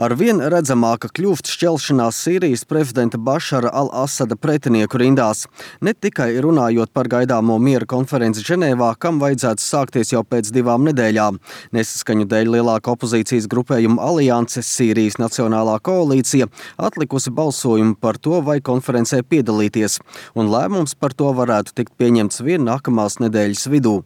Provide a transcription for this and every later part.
Arvien redzamāka kļūst šķelšanās Sīrijas prezidenta Bašara al-Asada pretinieku rindās. Ne tikai runājot par gaidāmo miera konferenci Ženēvā, kam vajadzētu sākties jau pēc 2 nedēļām. Nesaskaņu dēļ lielāka opozīcijas grupējuma alianse Sīrijas Nacionālā koalīcija atlikusi balsojumu par to, vai konferencē piedalīties, un lēmums par to varētu tikt pieņemts vien nākamās nedēļas vidū.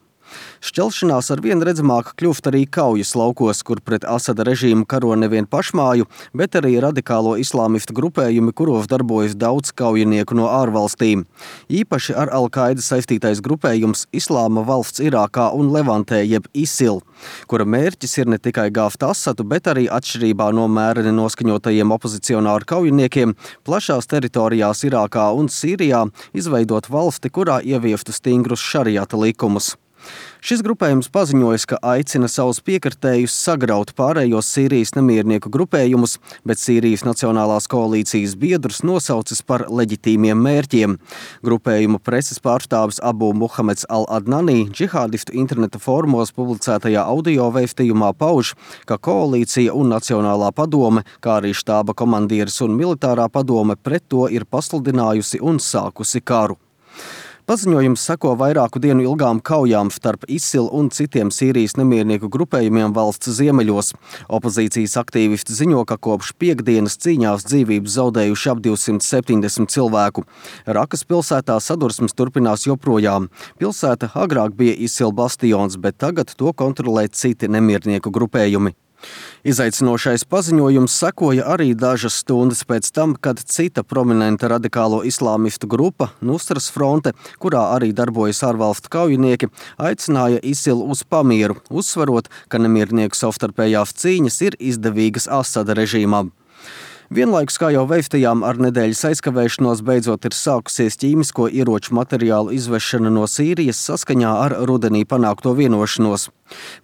Šķelšanās arvien redzamāka kļūst arī kaujas laukos, kur pret Asada režīmu karo nevien pašmāju, bet arī radikālo islāmistu grupējumi, kuros darbojas daudz kaujinieku no ārvalstīm. Īpaši ar Al-Qaida saistītais grupējums Islāma valsts Irākā un Levantē jeb ISIL, kura mērķis ir ne tikai gāzt Asadu, bet arī atšķirībā no mēreni noskaņotajiem opozicionāru kaujiniekiem plašās teritorijās Irākā un Sīrijā izveidot valsti, kurā ieviestu stingrus šariata likumus. Šis grupējums paziņojas, ka aicina savus piekritējus sagraut pārējos Sīrijas nemiernieku grupējumus, bet Sīrijas Nacionālās koalīcijas biedrus nosaucis par leģitīmiem mērķiem. Grupējuma preses pārstāvis Abu Muhameds al-Adnani džihādistu interneta formos publicētajā audio vēstījumā pauž, ka koalīcija un Nacionālā padome, kā arī štāba komandieris un militārā padome pret to ir pasludinājusi un sākusi karu. Paziņojums seko vairāku dienu ilgām kaujām starp ISIL un citiem Sīrijas nemiernieku grupējumiem valsts ziemeļos. Opozīcijas aktīvisti ziņo, ka kopš piektdienas cīņās dzīvības zaudējuši ap 270 cilvēku. Rakas pilsētā sadursmes turpinās joprojām. Pilsēta agrāk bija ISIL bastions, bet tagad to kontrolē citi nemiernieku grupējumi. Izaicinošais paziņojums sekoja arī dažas stundas pēc tam, kad cita prominenta radikālo islāmistu grupa, Nusras fronte, kurā arī darbojas ārvalstu kaujinieki, aicināja ISIL uz pamieru, uzsverot, ka nemiernieku savstarpējās cīņas ir izdevīgas Asada režīmam. Vienlaikus, kā jau vēstījām, ar nedēļas aizkavēšanos beidzot ir sākusies ķīmisko ieroču materiālu izvešana no Sīrijas saskaņā ar rudenī panākto vienošanos.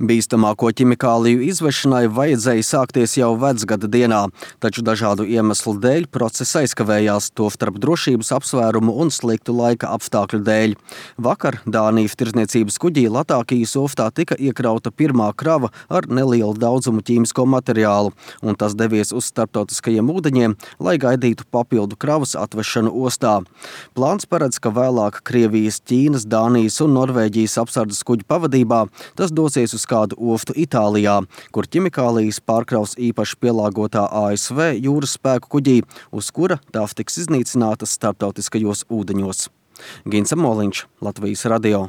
Bīstamāko ķimikāliju izvešanai vajadzēja sākties jau vecgada dienā, taču dažādu iemeslu dēļ process aizkavējās, tostarp drošības apsvērumu un sliktu laika apstākļu dēļ. Vakar Dānijas tirdzniecības kuģī Latākijas ostā tika iekrauta pirmā krava ar nelielu daudzumu ķīmisko materiālu, un tas devies uz starptautiskajiem ūdeņiem, lai gaidītu papildu kravas atvešanu ostā. Plāns paredz, ka vēlāk Krievijas, Ķīnas, Dānijas un Norvēģijas apsardzes kuģu pavadībā tas dosies uz kādu ostu Itālijā, kur ķimikālijas pārkraus īpaši pielāgotā ASV jūras spēku kuģī, uz kura tās tiks iznīcinātas starptautiskajos ūdeņos. Gins Moliņš, Latvijas radio.